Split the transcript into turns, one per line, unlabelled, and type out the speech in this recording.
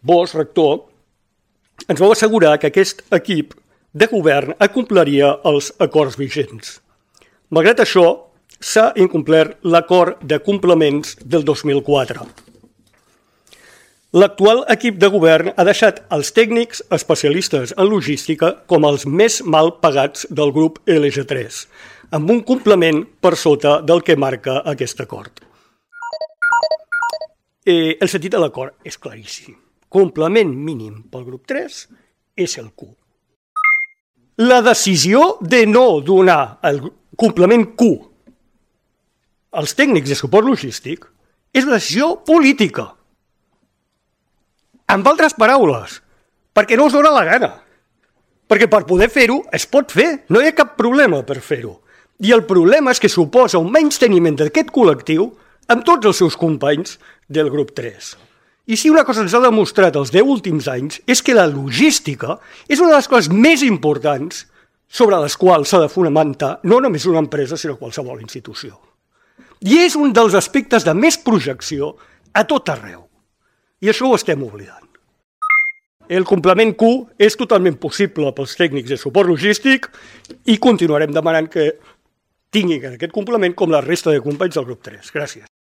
vos, rector, ens vau assegurar que aquest equip de govern acompliria els acords vigents. Malgrat això, s'ha incomplert l'acord de complements del 2004. L'actual equip de govern ha deixat els tècnics especialistes en logística com els més mal pagats del grup LG3, amb un complement per sota del que marca aquest acord. El sentit de l'acord és claríssim. Complement mínim pel grup 3 és el Q. La decisió de no donar el complement Q als tècnics de suport logístic és una decisió política. Amb altres paraules, perquè no us dóna la gana. Perquè per poder fer-ho es pot fer, no hi ha cap problema per fer-ho. I el problema és que suposa un menysteniment d'aquest col·lectiu amb tots els seus companys del grup 3. I si una cosa ens ha demostrat els 10 últims anys és que la logística és una de les coses més importants sobre les quals s'ha de fonamentar no només una empresa, sinó qualsevol institució. I és un dels aspectes de més projecció a tot arreu. I això ho estem oblidant. El complement Q és totalment possible pels tècnics de suport logístic i continuarem demanant que tinguin aquest complement com la resta de companys del grup 3. Gràcies.